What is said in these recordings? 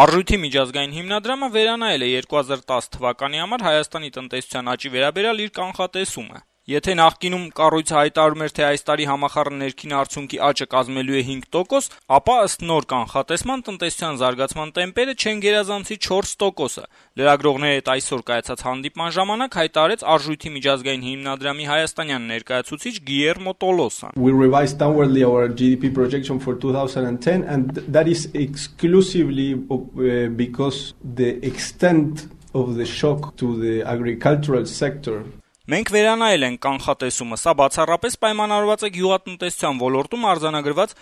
Արժույթի միջազգային հիմնադրամը վերանայել է 2010 թվականի համար Հայաստանի տնտեսության աճի վերաբերյալ իր կանխատեսումը։ Եթե նախկինում կառույցը հայտարարում էր, թե այս տարի համախառն ներքին արդյունքի աճը կազմելու է 5%, ապա ըստ նոր կանխատեսման տնտեսության զարգացման տեմպերը չեն գերազանցի 4%-ը։ Լրագրողների հետ այսօր կայացած հանդիպման ժամանակ հայտարարեց Արժույթի միջազգային հիմնադրամի հայաստանյան ներկայացուցիչ Գիերմո Տոլոսան. We revised downwardly our GDP projection for 2010 and that is exclusively because the extent of the shock to the agricultural sector. Մենք վերանայել ենք կանխատեսումը, սա բացառապես պայմանավորված է գյուղատնտեսության ոլորտում արձանագրված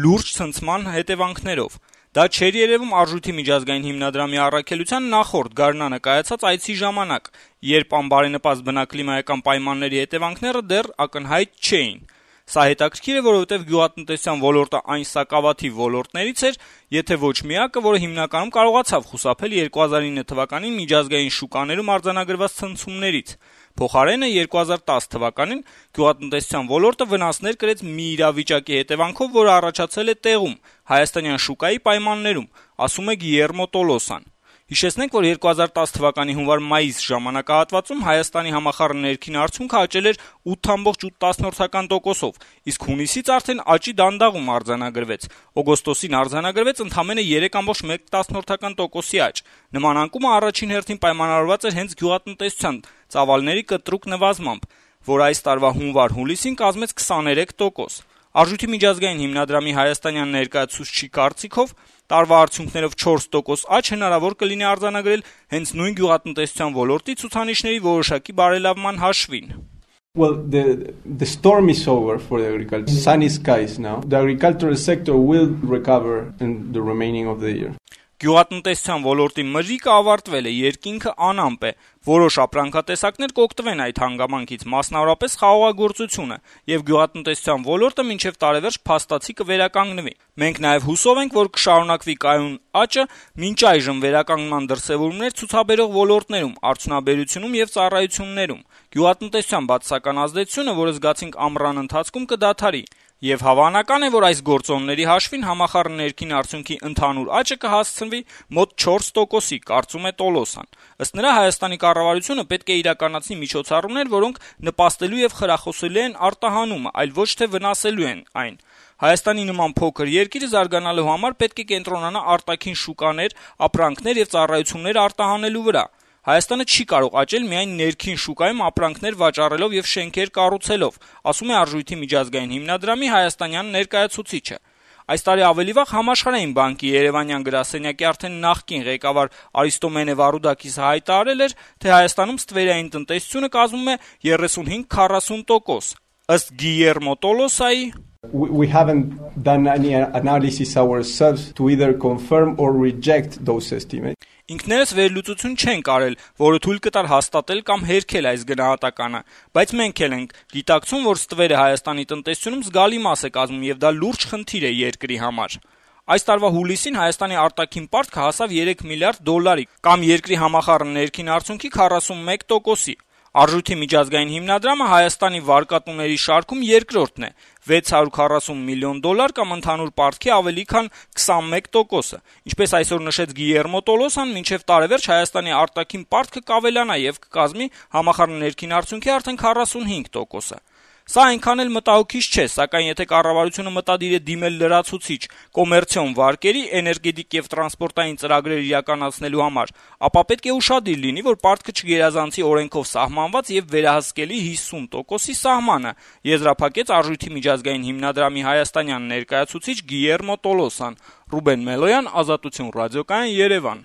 լուրջ ցնցման հետևանքներով։ Դա չէր երևում Արժույթի միջազգային հիմնադրամի առաքելության նախորդ գարնանը կայացած այցի ժամանակ, երբ անբարենպաստ բնակլիմայական պայմանների հետևանքները դեռ ակնհայտ չէին։ Սա հետաքրքիր է, որովհետև գյուղատնտեսության ոլորտը այն սակավաթիվ ոլորտներից էր, եթե ոչ միակը, որը հիմնականում կարողացավ խուսափել 2009 թվականին միջազգային շուկաներում արձանագրված ցնցումներից։ Փոխարենը 2010 թվականին գյուղատնտեսության ոլորտը վնասներ կրեց մի իրավիճակի հետևանքով, որը առաջացել է տեղում, հայաստանյան շուկայի պայմաններում, ասում է Գիերմո Տոլոսան։ Հիշեցնենք, որ 2010 թվականի հունվար-մայիս ժամանակահատվածում Հայաստանի համախառն ներքին արդյունքը աճել էր 8.8%-ով, իսկ հունիսից արդեն աճի դանդաղում արձանագրվեց։ Օգոստոսին արձանագրվեց ընդամենը 3.1%-ի աճ։ Նման անկումը առաջին հերթին պայմանավորված էր հենց գյուղատնտեսության ծավալների կտրուկ նվազմամբ, որ այս տարվա հունվար-հուլիսին կազմեց 23%։ Արժույթի միջազգային հիմնադրամի հայաստանյան ներկայացուցչի կարծիքով տարվա արդյունքներով 4% աճ հնարավոր կլինի արձանագրել հենց նույն գյուղատնտեսության ոլորտի ցուցանիշների որոշակի բարելավման հաշվին։ Well, the storm is over for the agriculture. Sunny skies now. The agricultural sector will recover in the remaining of the year. Գյուղատնտեսության ոլորտի մրրիկը ավարտվել է, երկինքը անամպ է, որոշ ապրանքատեսակներ կօգտվեն այդ հանգամանքից, մասնավորապես խաղողագործությունը, եւ գյուղատնտեսության ոլորտը մինչեւ տարեվերջ փաստացի կվերականգնվի։ Մենք նաեւ հուսով ենք, որ կշարունակվի կայուն աճը մինչ այժմ վերականգնման դրսեւորումներ ցուցաբերող ոլորտներում, արդյունաբերությունում եւ ծառայություններում։ Գյուղատնտեսության բացասական ազդեցությունը, որը զգացինք ամռան ընթացքում, կդադարի։ Եվ հավանական է, որ այս գործոնների հաշվին համախառն ներքին արդյունքի ընդհանուր աճը կհասցնվի մոտ 4%-ի, կարծում է Տոլոսան։ Ըստ նրա, Հայաստանի կառավարությունը պետք է իրականացնի միջոցառումներ, որոնք նպաստելու եւ խրախուսելու են արտահանումը, այլ ոչ թե վնասելու են այն։ Հայաստանի նման փոքր երկիրը զարգանալու համար պետք է կենտրոնանա արտաքին շուկաներ, ապրանքներ եւ ծառայություններ արտահանելու վրա։ Հայաստանը չի կարող աճել միայն ներքին շուկայում ապրանքներ վաճառելով եւ շենքեր կառուցելով, ասում է Արժույթի միջազգային հիմնադրամի հայաստանյան ներկայացուցիչը։ Այս տարի ավելի վաղ Համաշխարհային բանկի Երևանյան գրասենյակի արդեն նախկին ղեկավար Արիստոմենե Վարուդակիսը հայտարարել էր, թե Հայաստանում ստվերային տնտեսությունը կազմում է 35-40%։ Ըստ Գիերմո Տոլոսայի We haven't done any analysis ourselves to either confirm or reject those estimates. Ինքներս վերլուծություն չենք արել, որը թույլ կտար հաստատել կամ հերքել այս գնահատականը, բայց մենք էլ ենք գիտակցում, որ ստվերը Հայաստանի տնտեսությունում զգալի մաս է կազմում եւ դա լուրջ խնդիր է երկրի համար։ Այս տարվա հուլիսին Հայաստանի արտաքին պարտքը հասավ 3 միլիարդ դոլարի, կամ երկրի համախառն ներքին արդյունքի 41%-ի։ Արժույթի միջազգային հիմնադրամը Հայաստանի վարկատուների շարքում երկրորդն է, 640 միլիոն դոլար կամ ընդհանուր պարտքի ավելի քան 21%-ը։ Ինչպես այսօր նշեց Գիերմո Տոլոսան, մինչև տարեվերջ Հայաստանի արտաքին պարտքը կավելանա եւ կկազմի համախառն ներքին արդյունքի արդեն 45%-ը։ Սա այնքան էլ մտահոգիչ չէ, սակայն եթե կառավարությունը մտադիր է դիմել լրացուցիչ կոմերցիոն վարկերի, էներգետիկ եւ տրանսպորտային ծրագրեր իրականացնելու համար, ապա պետք է ուշադիր լինի, որ պարտքը չգերազանցի օրենքով սահմանված եւ վերահսկելի 50%-ի սահմանը, եզրափակեց Արժույթի միջազգային հիմնադրամի հայաստանյան ներկայացուցիչ Գիերմո Տոլոսան։ Ռուբեն Մելոյան, Ազատություն ռադիոկայան, Երևան։